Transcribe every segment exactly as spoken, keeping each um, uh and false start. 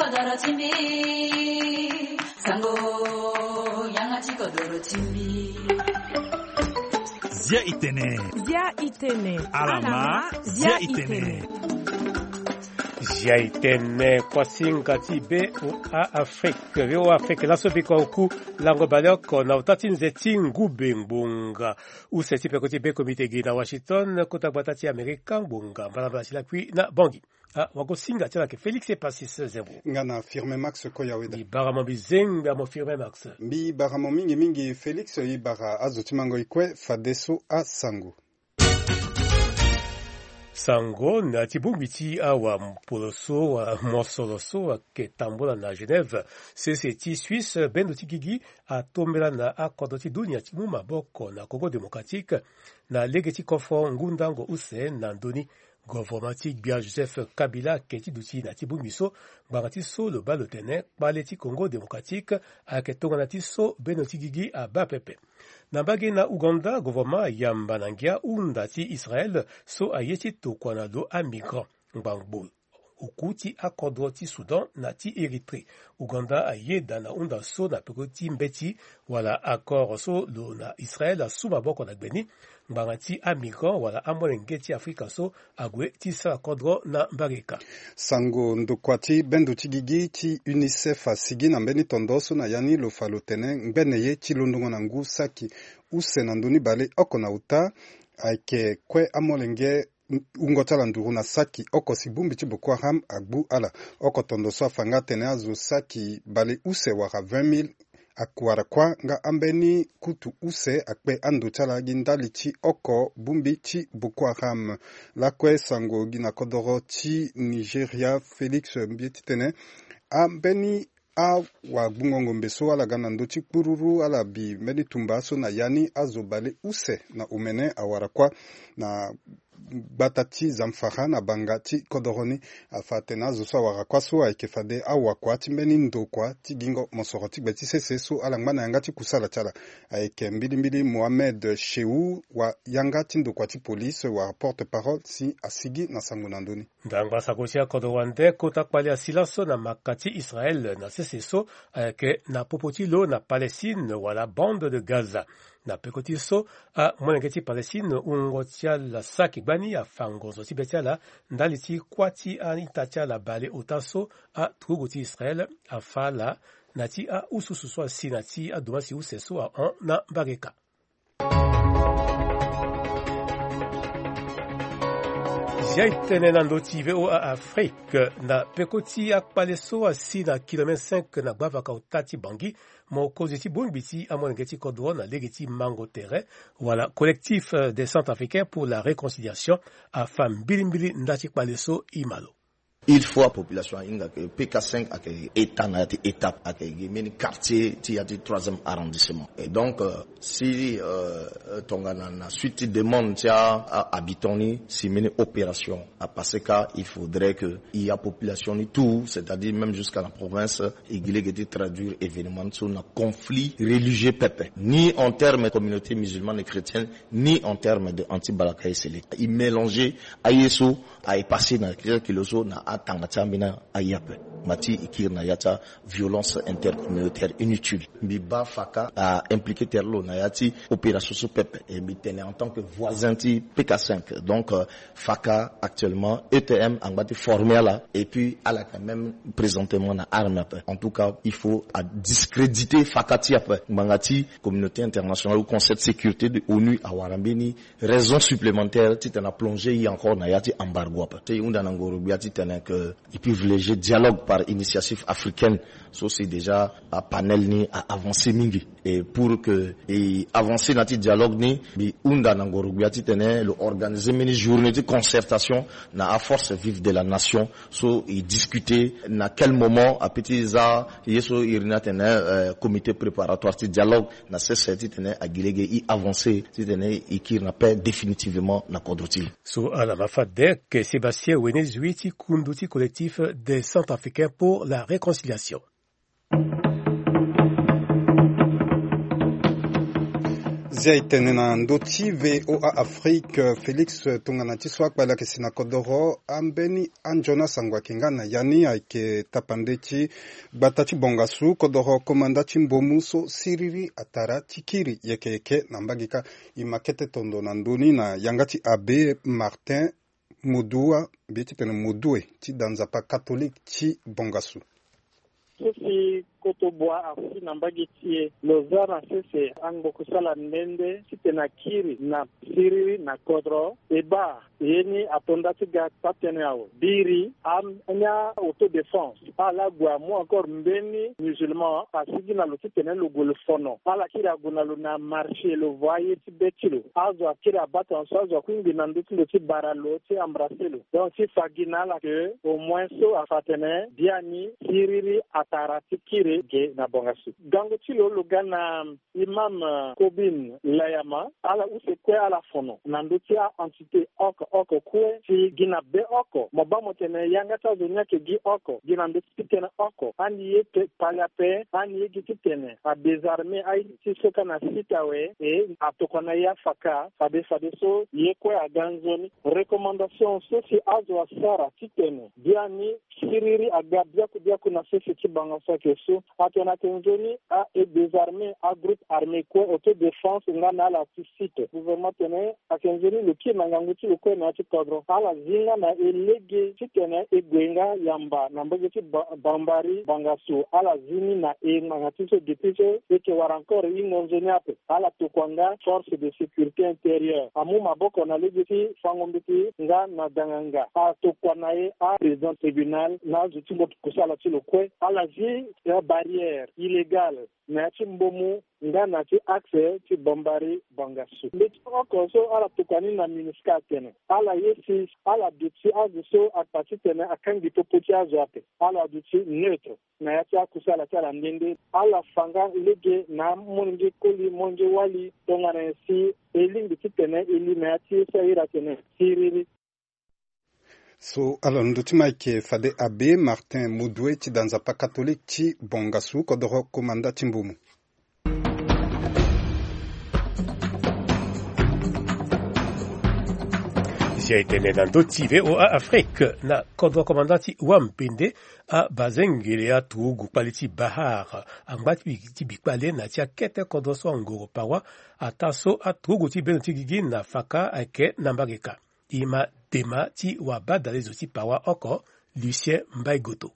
Kodoro ti mbi, sango, yanga ti kodoro ti mbi. Zia i tene. Zia i tene. Alama, zia i tene. Zia i tene, kuasinga ti be o a Afrique, be o Afrique, laso biko oku lango baleoko na ota ti nze ti ngube ngbonga. Use ti peko ti be komite gi na Washington, kota gbata ti Amerika ngbonga, mbalambala ti lakui na Bangui. Ah, wagosinga ti ala ke Félix Epasis Zembo. Nga na Firmin Max Koyaweda. Mbi bara mo mbi zengbe amo Firmin Max. Mbi bara mo mingi mingi Félix, i bara azo ti mango i kue fadeso asango. Sango na ti bongbi ti awa mpolo so, wa mosoro so, wa ke tambola na Genève, sese ti Suisse, bendo ti gigi atombela na akodro ti dunia ti mu maboko na Congo Démocratique, na lege ti kofo ngundango use na ndoni. Govoroma ti gbia Joseph Kabila ake ti duti na ti bongbi so, ngbanga ti so lo baa lo tene kpale ti Congo Démocratique ayeke tongana ti so beno ti gigi abaa pepe. Na mbage na Ouganda, govoroma ayamba na ngia hunda ti Israel so aye ti tokua na lo amigrant ngbangbo oku ti akodro ti Soudan na ti Érythrée. Ouganda ayeda na hunda so na peko ti mbeti wala accord so lo na Israel asu maboko na gbe ni, ngbanga ti amigrant wala amolenge ti Afrika so ague ti sara kodro na mbage ka. Sango ndokua ti bendo ti gigi ti UNICEF asigi na mbeni tondo so na ya ni lo fa lo tene ngbene ye ti londongo na ngu saki use na ndoni baleoko na uta ayeke kue amolenge wungo ti ala nduru na saki oko si bongbi ti Boko Haram agbu ala. Oko tondo so afa nga atene azo saki baleuse wala vingt mille awara kuâ, nga ambeni kutu use akpe ando ti ala gi ndali ti oko bongbi ti Boko Haram. Lakue sango gi na kodoro ti Nigeria, Félix, mbi ye titene ambeni awagbungo ngombe so ala ga na ndö ti kpururu, ala bi mbeni tumba so na ya ni azo baleuse na omene awara kuâ na gbata ti Zamfara na banga ti kodoro ni. Afa atene azo so awara kuâ so ayeke fade awakua ti mbeni ndokua ti gingo mosoro ti gbe ti sese so ala ngba na yanga ti kusala ti ala. Ayeke mbilimbili Mohamed Shehu, wa yanga ti ndokua ti police wala porte-parole si asigi na sango na ndö ni. Ndangba sango ti akodro wande kota kpale asi laso na maka ti Israel na sese so ayeke na popo ti lo na Palestine wala bande de Gaza. Na peko ti so, amolenge ti Palestine wungo ti ala saki gbani afa ngonzo ti be ti ala ndali ti kuâ ti a-ita ti ala baleota so aturugu ti Israel afa ala na ti ahususu so asi na ti adomasi use so ahon na mbage ka. Zia e tene na ndö ti V O A Afrique, na peko ti akpale so asi na kilomètre cinq na gbavaka ota ti Bangui, mokonzi ti bongbi ti amolenge ti kodro na lege ti mango tere wala Collectif, euh, des Centrafricains pour la Réconciliation afa mbilimbili nda ti kpale so e ma lo. Il faut apopulation ahinga ke P K cinq ayeke état na ya ti étape, ayeke gi mbeni quartier ti ya ti troisième arrondissement. Et donc, euh, si, euh, tongana na suite ti demande ti a, a habitant ni, si mbeni opération apasse ka, il faudrait que i apopulation ni tout, c'est-à-dire même jusqu'à la province, e gi lege ti traduire événement so na conflit religieux pepe, ni en terme de communauté musulmane et chrétienne, ni en terme de anti-Balaka et Seleka. E mélanger aye so aye passé na kilo so na atanga ti ambeni aye ape. Ngba ti e kiri na ya ti aviolence intercommunautaire inutile. Mbi baa faka a-impliqué tere lo na ya ti opération so pepe. E mbi tene en tant que voisin ti P K cinq. Donc, euh, faka actuellement E T M angba ti former ala, et puis ala quand même présentement na arme ape. En tout cas, il faut adiscréditer faka ti ape. Ngbanga ti communauté internationale ou Conseil de sécurité de ONU awara mbeni raison supplémentaire titene aplonger ye encore na ya ti embargo ape. Ti e hunda na ngoro gbia titene que e privilégier dialogue par initiative africaine. So si déjà apanel ni a-avancer mingi. Et pour que e avancer na ti dialogue ni, mbi hunda na ngoro gbia titene lo organiser mbeni journée ti concertation na aforce vive de la nation. So e discuter na quel moment ape ti za ye so iri ni atene, euh, comité préparatoire ti dialogue na sese titene a gi lege e avancer titene e kiri na paix définitivement na kodro ti e. So ala ma fade ayeke Sébastien Wenezui ti kundu ti Collectif des Centrafricains pour la Réconciliation. Zia e tene na ndö ti VOA Afrique, Félix tongana ti so akpali ayeke si na kodoro ambeni anzoni asango ayeke nga na ya ni ayeke tapande ti gbata ti bongasu kodoro komanda ti mbomu so siriri atara ti kiri yeke yeke na mbage kâ. E ma kete tondo na ndö ni na yanga ti abbé Martin Modua, mbi ye ti tene Modue ti da nzapa katolike ti bongasu. So si koto bua asi na mbage ti e, lo za na sese angbo kusala nde nde titene akiri na siriri na kodro. E baa ye ni ato nda ti ga taa-tënë awe. Biri, a, ni a autodéfense ala gue amu encore mbeni musulman asigi na lo titene lo gue lo fono. Ala kiri ague na lo na marché, lo voa ye ti be ti lo. Azo akiri abaa tongana so azo akui ngbi na ndö ti lo ti bara lo ti embrasser lo. Donc ti fa gi na ala ke au moins so afa atene biani siriri atara ti kiri ge na bongasu. Gango ti lo lo ga na Imam, euh, Kobin Layama, ala use kue ala fono na ndö ti a-entité oko oko kue ti gi na be oko. Mo baa mo tene yanga ti azo ni ayeke gi oko, gi na ndö ti tënë oko. Andi ye te kpali ape, andi ye gi titene adésarmer aye ti so kâ na site awe, e atokua na ye afaka, fade fadeso ye kue aga nzoni. Recommandation so si azo asara titene biani siriri aga biaku biaku na sese ti bango so ayeke so. Atene ayeke nzoni a e désarmer agroupe armé kue, autodéfense nga na ala ti site. Gouvernement atene ayeke nzoni lo kiri na ngangu ti lo kue na ya ti kodro. Ala zi nga na e lege titene e gue nga yamba na mbage ti Ba-, Bambari Bangassou. Ala zi ni na e ngbanga ti so depuis so e yeke wara encore hingo nzoni ape. Ala tokua nga force de sécurité intérieure amu maboko na lege ti fango mbeti nga na danganga. Atokua na e aprésident tribunal na azo ti mbo kusala ti lo kue. Ala zi, eh, barrière illégale na ya ti mbomu nga na ti axe ti Bambari Bangassou. Mbeti oko so ala tokua ni na MINUSCA atene ala ye si ala duti azo so akpa titene akangbi popo ti azo ape. Ala duti neutre na ya ti akusala ti ala nde nde. Ala fa nga lege na amolenge koli, molenge wali, tongana nyen si e lingbi titene e li na ya ti ye so airi atene siriri. So ala londo ti Mike fade abbé Martin Modue ti da nzapa katolike ti Bongassou kodoro komanda ti mbomu. Zia e tene na ndö ti VOA Afrique na kodro komanda ti Wambende, abazengele aturugu kpali ti Bahar angba ti bi-, ti bi kpale na ti akete kodro so angoro pawa. Ataa so aturugu ti bendo ti gigi na faka ayeke na mbage ka. E ma dema ti wabadale zo ti pawa oko, Lucien Mbaye Goto.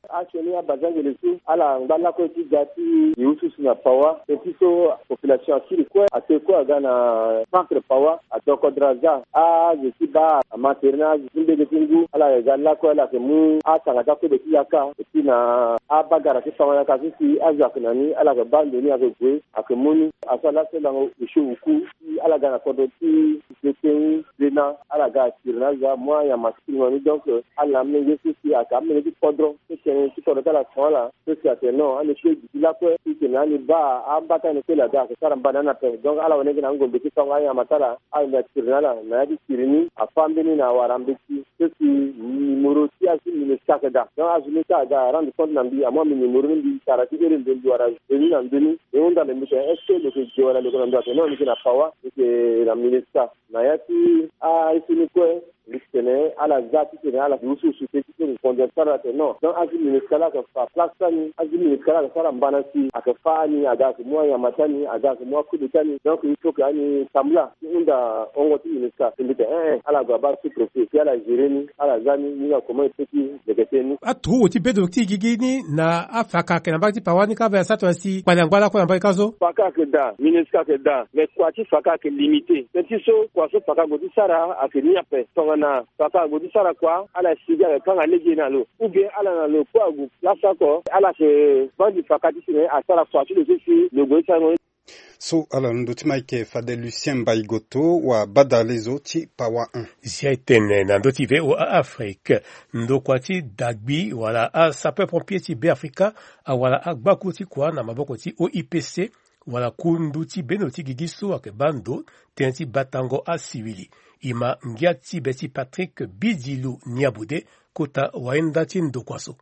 Asioni abazengele so ala ngba lakue ti ga ti e ususu na pawa, teti so population akiri kue, ate kue aga na centre pawa, adoko draza, azo ti baa ama tere na azo ti mbege ti ngu, ala yeke ga lakue, ala yeke mu atanga ti akode ti yaka, eti na abagara ti fango yaka so si azo ayeke na ni, ala yeke baa ndo ni ayeke gue, ayeke mu ni. Aso ala so lango osio oku, si ala ga na kodro ti Beteni, Bena, ala ga atiri na azo amu anyama ti kiri na ni. Donc, ala na amolenge so si ayeke amolenge ti kodro, so tene ti kodro ti ala ton ala, so si atene non, ani kue gi ti lakue, so tene ani baa ambata ni kue la ga ayeke sara mbana ni ape. Donc, ala wene gi na angombe ti fango anyama ti ala, ala yeke atiri na ala, na ya ti tiri ni, afâ mbeni na awara mbeti. So si numéro ti azo ti MINUSCA ayeke daa. Donc azo ni so aga arendre compte na mbi, amu ambi numéro ni, mbi tara ti iri mbi, mbi wara venu na ndö ni. E hunda na mbi tene est-ce que lo yeke ge wala lo yeke na ndö? Atene non, lo yeke na pawa, lo yeke na MINUSCA. Na ya ti aye so ni kue, mbi ti tene ala za ti tene ala yeke usu usu te ti so lo yeke konde sara, atene non. Donc azo ti MINUSCA la ayeke fa place ti ani, azo ti MINUSCA la ayeke sara mbana si ayeke fâ ani, aga ayeke mu anyama ti ani, aga ayeke mu akode ti ani. Donc il faut que ani tambula. Ti hunda hongo ti MINUSCA, ti mbi tene eh eh, ala gue abaa sous-préfet, si ala gérer ni, ala za ni, ni na comment e peut ti leke tënë ni. Aturugu ti bedo ti gigi ni na afaka ayeke na mbage ti pawa ni kâ, mbi asara tongana si kpali angba lakue na mbage kâ so. Faka ayeke daa, MINUSCA ayeke daa, mais kua ti faka ayeke limité. Tënë ti so kua so faka ague ti sara ayeke ni ape. Tongana faka ague ti sara kua, ala si gi ayeke kanga lege na lo. Ou bien ala na lo kue ague place oko, ala yeke baa mbi faka ti tene asara kua ti lo so si lo gue ti sara ni. So ala londo ti Mike fade Lucien Mbaye Goto, wabadale zo ti pawa un. Zia e tene na ndö ti VOA Afrique, ndokua ti dagbi wala asapeur pompier ti Beafrika awara agbaku ti kua na maboko ti O I P C, wala kundu ti bendo ti gigi so ayeke baa ndo tënë ti batango asivili. E ma ngia ti be ti Patrick Bidilu Niabude, kota wayenda ti ndokua so.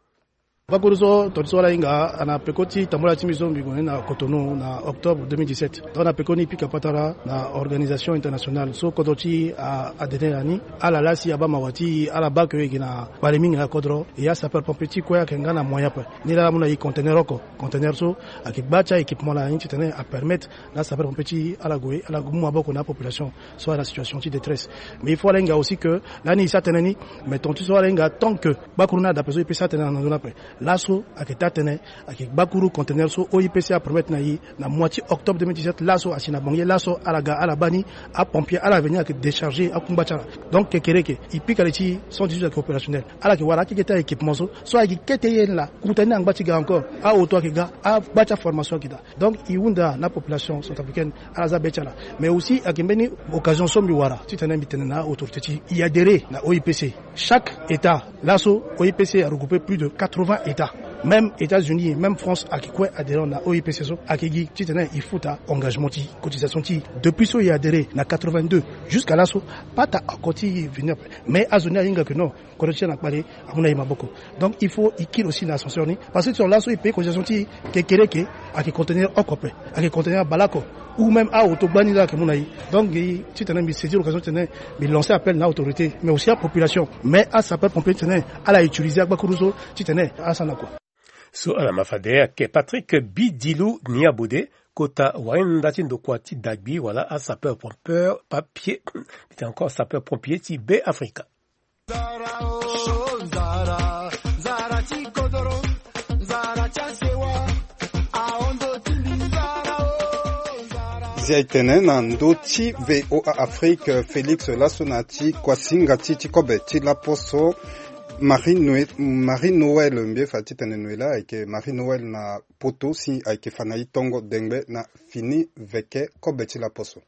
Gbakuru so tonga ti so ala hinga na peko ti tambula ti mbi so mbi gue ni na Cotonou na octobre deux mille dix-sept. Donc na peko ni pika patara na organisation internationale so kodro ti adene na ni, ala laa si abaa mawa ti ala baa ke e gi na kpale mingi na kodro. E asapeur pompier ti kue ayeke nga na moyen ape. Ni laa ala mu na e conteneur oko. Conteneur so ayeke gba ti a-équipement na ni titene apermettre na sapeur pompier ti ala gue ala mu maboko na apopulation so ayeke na situation ti détresse. Mais il faut ala hinga aussi que lani e sara tënë ni, mais tonga ti so ala hinga tant que gbakuru ni adape so e peut sara tënë na ndö ni ape. Laso ayeke taa tënë, ayeke gbakuru conteneur so O I P C apermettre na e na mois ti octobre deux mille dix-sept. Laso asi na Bangui, laso ala ga ala baa ni, apompier ala veni ayeke décharger akungba ti ala. Donc kekereke e pika li ti cent dix-huit ayeke opérationnel. Ala yeke wara akeke ti a-équipement so, so ayeke kete ye ni laa. Kota ni angba ti ga encore, aoto ayeke ga, agba ti aformation ayeke daa. Donc e hunda na apopulation centrafricaine ala za be ti ala. Mais aussi ayeke mbeni occasion so mbi wara titene mbi tene na autorité ti e adhérer na O I P C. Chaque état, laso O I P C aregrouper plus de quatre-vingts états. Même États-Unis, même France ayeke kue adhérent na O I P C so. Ayeke gi titene e futa engagement ti cotisation ti e. Depuis so e adhérer na quatre-vingt-deux jusqu'à laso, pas ta oko ti e venu ape. Mais azo ni ahinga ke non, kodro ti e na kpale amu na e maboko. Donc il faut e kiri aussi na ascenseur ni, parce que ti tongana laso e paye cotisation ti e, kekereke ayeke conteneur oko ape, ayeke conteneur baleoko, ou même aoto gbani laa ayeke mu na e. Donc e titene mbi saisir occasion titene mbi lancer appel na autorité, mais aussi apopulation, mais asapeur pompier titene ala utiliser agbakuru so titene asara na kua. So ala ma fade ayeke Patrick Bidilou Niabode, kota wahinda ti ndokua ti dagbi wala asapeur pompier, papier, mbi tene encore sapeur pompier ti Be Afrika. Nzara o, nzara, nzara ti kodoro, nzara ti asewa, ahondo ti mbi nzara o, nzara. Zia e tene na ndö ti V O A Afrique, Félix laso na ti kuasinga ti ti kobe ti laposo Marie Noël, Marie Noël mbi ye fa titene Noël ayeke Marie Noël na poto si ayeke fa na e tongo dengbe na fini veke kobe ti laposo.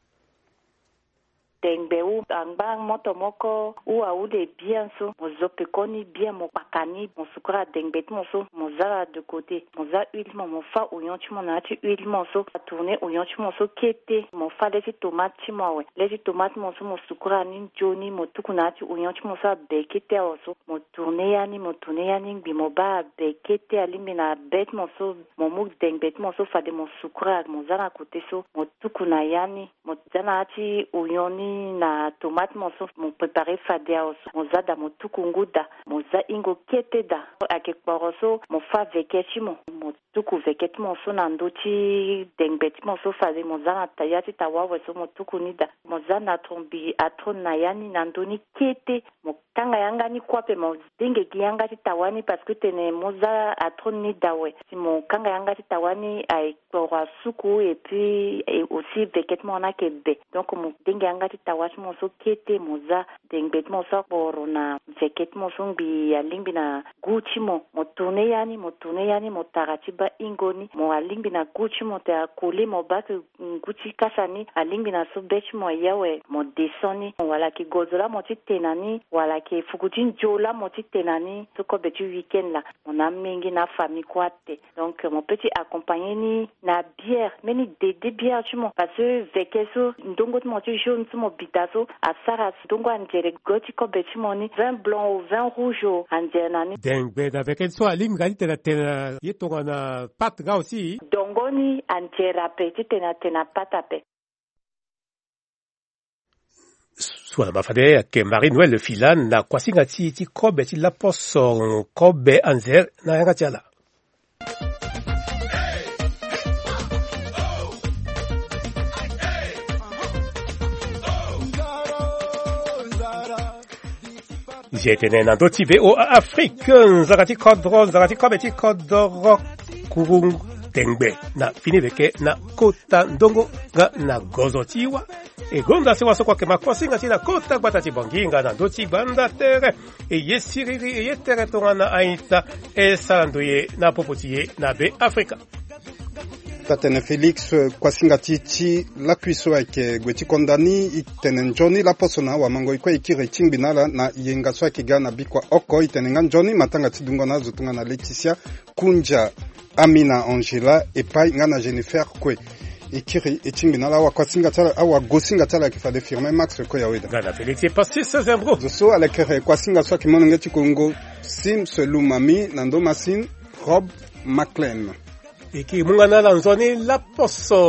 Dengbe ou angba moto moko ou awu de bien so, mo zo pekoni bien, mo kpaka ni, mo sukura dengbe ti mo so, mo za la de côté, mo za huile ti mo, mo fa oyon ti mo na ya ti huile ti mo so, atourner oyon ti mo so kete, mo fa le ti tomate ti mo awe, le ti tomate ti mo so mo sukura ni nzoni, mo tuku na ya ti oyon ti mo so abe kete awe so, mo tourner ya ni, mo tourner ya ni ngbi mo baa abe kete alingbi na be ti mo so, mo mu dengbe ti mo so fade mo sukura, mo za na côté so, mo tuku na ya ni. Mo za na ya ti oyon ni na tomate ti mo so, mo préparer fade awe so, mo za daa, mo tuku ngu daa, mo za hingo kete daa. Ayeke kporo so mo fa veke ti mo, mo tuku veke ti mo so na ndö ti dengbe ti mo so fade mo za na ta, ya ti tawa awe so mo tuku ni daa. Mo za na tongbi atro na ya ni na ndö ni kete, mo kanga yanga ni kue ape, mo denge gi yanga ti tawa ni parce que tene mo za atro ni daa awe. Si mo kanga yanga ti tawa ni aye kporo asuku et puis, eh, aussi veke ti mo ni ayeke be. Donc mo denge yanga ti tawa ti mo so kete, mo za dengbe ti mo so akporo na veke ti mo so ngbi alingbi na gu ti mo. Mo tourner ya ni, mo tourner ya ni, mo tara ti baa hingo ni. Mo alingbi na gu ti mo te akoli mo baa ke ngu ti kasa ni alingbi na so be ti mo aye awe, mo descend ni. Wala ayeke gozo laa mo ti te na ni, wala ayeke fuku ti nzio laa mo ti te na ni, so kobe ti week-end laa mo na amenge na afamille kue ate. Donc mo peut ti accompagner ni na bière, mbeni dede bière ti mo, parce que veke so ndongo ti mo ti jaune so mo bita so asara ndongo anzere go ti kobe ti mo ni, vin blanc o, vin rouge o, anzere na ni. Dengbe na veke so alingbi nga ti tene atene na ye tongana pâte nga aussi. Dongo ni anzere ape ti tene atene na pâte ape. So ala ma fade ayeke Marie Noël Filan na kuasinga ti, ti kobe ti laposo kobe anzere na yanga ti ala. Nze tene na ndö ti V O A Afrique, nzara ti kodro, nzara ti kobe ti kodro, kuru dengbe na fini veke na kota ndongo nga na gozo ti wa. E gonda sewa so kue ayeke ma kuasinga ti na kota gbata ti Bangui nga na ndö ti gbanda tere. E ye siriri, e ye tere tongana aita, e sara ndoye na popo ti e na Be Afrika. Taa tene Félix, eh, kuasinga ti, ti lakui so ayeke gue ti konda ni, e tene nzoni laposo na awamango e kue e kiri e tingbi na ala na yenga so ayeke ga na bikua oko. E tene nga nzoni matanga ti dungo na azo tongana Laetitia, Kunja, Amina, Angela, Epai nga na Jennifer kue. E kiri e tingbi na ala, awakuasinga ti ala, awagosinga ti ala ayeke fade Firmin Max Koyaweda. Nga na Félix e pasi seize embro. Zo so ala yeke re kuasinga so ayeke molenge ti Kongo, Sims Lumami na ndo Masine. Rob Maclean. E ke mu nga na ala nzoni laposo.